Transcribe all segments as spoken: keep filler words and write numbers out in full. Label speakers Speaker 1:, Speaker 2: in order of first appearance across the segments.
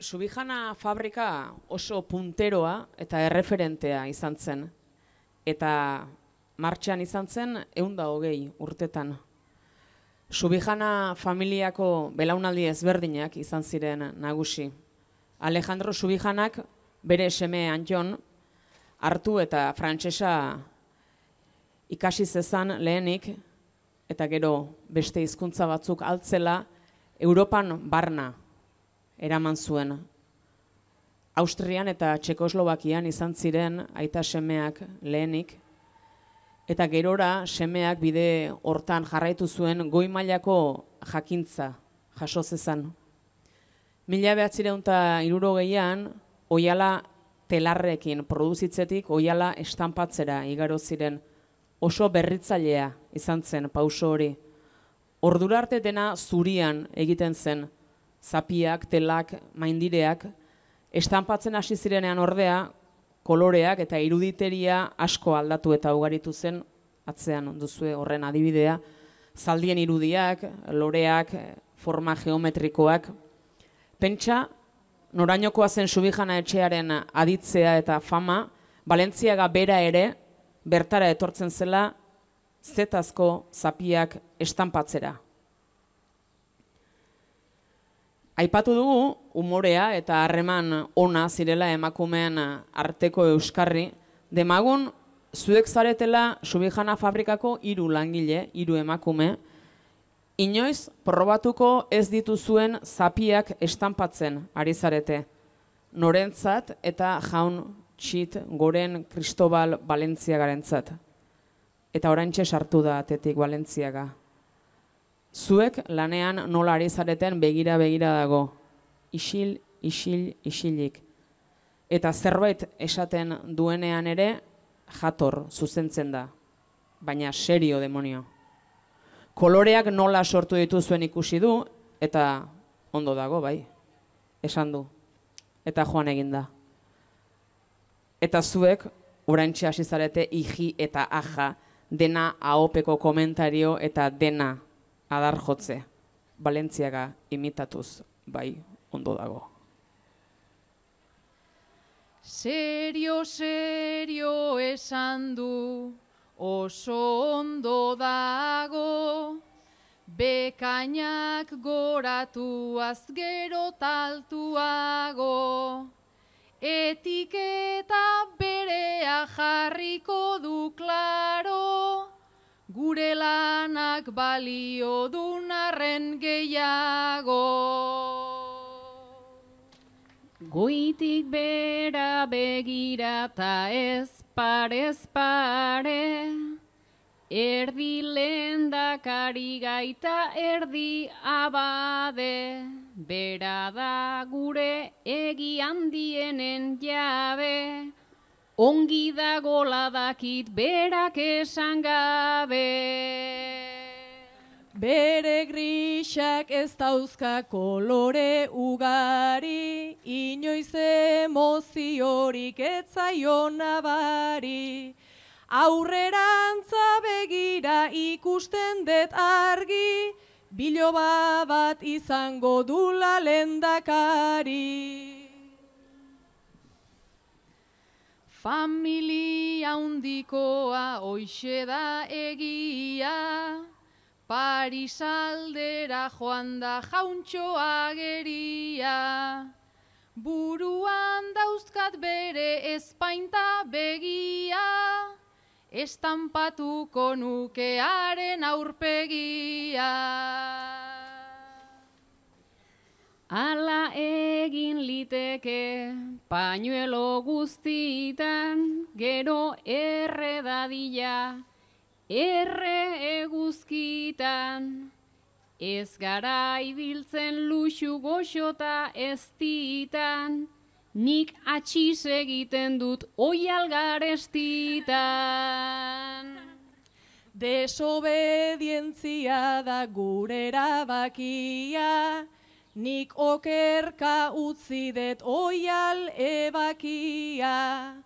Speaker 1: Subijana fabrika oso punteroa eta erreferentea izan zen. Eta martxan izan zen ehun eta hogei urtetan. Subijana familiako belaunaldi ezberdinak izan ziren nagusi. Alejandro Subijanak bere seme Anton hartu eta frantsesa ikasi zezan lehenik, eta gero beste hizkuntza batzuk altzela Europan barna eraman zuen. Austrian eta Txekoslovakian izan ziren aita semeak lehenik, eta gerora semeak bide hortan jarraitu zuen goi mailako jakintza jaso zezan. Mila bederatziehun eta hirurogeian oihala telarrekin produzitzetik oihala estanpatzera igaro ziren. Oso berritzailea izan zen pauso hori. Ordura arte dena zurian egiten zen. Zapiak, telak, maindireak, estanpatzen hasi zirenean ordea, koloreak eta iruditeria asko aldatu eta ugaritu zen, atzean duzue horren adibidea, zaldien irudiak, loreak, forma geometrikoak. Pentsa, norainokoa zen Subijana etxearen aditzea eta fama, Balentziaga bera ere, bertara etortzen zela, zetazko zapiak estanpatzera. Aipatu dugu, umorea eta harreman ona zirela emakumeen arteko euskarri, demagun zuek zaretela Subijana fabrikako hiru langile, hiru emakume, inoiz probatuko ez dituzuen zapiak estanpatzen ari zarete. Norentzat eta jaun txit goren Cristobal Balentziagarentzat. Eta oraintxe sartu da atetik Balentziaga. Zuek lanean nola ari zareten begira-begira dago. Isil, isil, isilik. Eta zerbait esaten duenean ere jator zuzentzen da. Baina serio demonio. Koloreak nola sortu dituzuen ikusi du, eta ondo dago, bai. Esan du. Eta joan egin da. Eta zuek, oraintxe hasi zarete iji eta aja, dena ahopeko komentario eta dena adar jotze. Balentziaga imitatuz, bai, ondo dago.
Speaker 2: Serio, serio esan du, oso ondo dago, bekainak goratuaz gero taltuago, etiketa berea jarriko du klaro, gure lanak balio dunarren gehiago. Goitik bera begira ta ez parez pare, erdi lehendakari gaita erdi abade, bera da gure egi handienen jabe, ongi dagola dakit berak esan gabe.
Speaker 3: Bere grisak ez dauzka kolore ugari, inoiz emoziorik ez zaio nabari. Aurrerantza begira ikusten dut argi, biloba bat izango dula lehendakari.
Speaker 2: Familia handikoa hoixe da egia, Paris aldera joan da jauntxo ageria. Buruan dauzkat bere ezpainta begia, estampatuko nukearen aurpegia. Ala egin liteke pañuelo guztitan, gero erre dadila, erre eguzkitan. Ez gara ibiltzen luxu goxota ez ditan, nik atxiz egiten dut oial garestitan.
Speaker 3: Desobedientzia da gure erabakia, nik okerka utzi dut oial ebakia.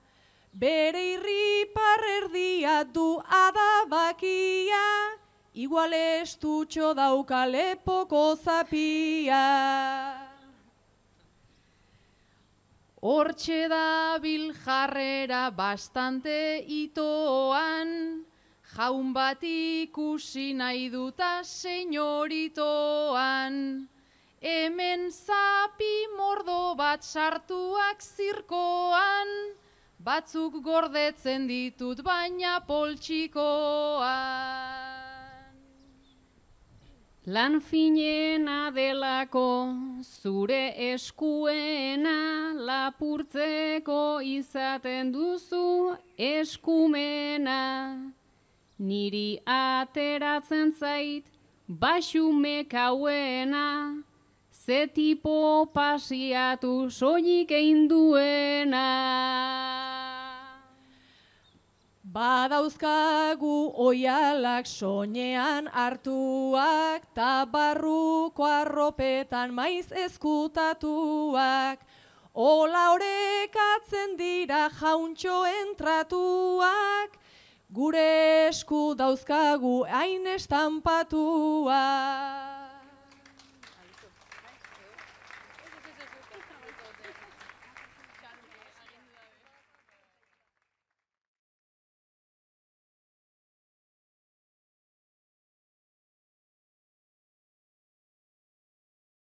Speaker 3: Bere irripar erdia du adabakia, igual estutxo dauka lepoko zapia.
Speaker 2: Hortxe dabil jarrera bastante itoan, jaun bat ikusi nahi duta senyoritoan. Hemen zapi mordo bat sartuak zirkoan, batzuk gordetzen ditut baina poltsikoan. Lan finena delako zure eskuena, lapurtzeko izaten duzu eskumena. Niri ateratzen zait baxumek hauena, ze tipo pasiatu soilik egin duena.
Speaker 3: Badauzkagu oialak soinean hartuak, ta barruko arropetan maiz ezkutatuak. Ola orekatzen dira jauntxoen tratuak, gure esku dauzkagu hain estampatuak.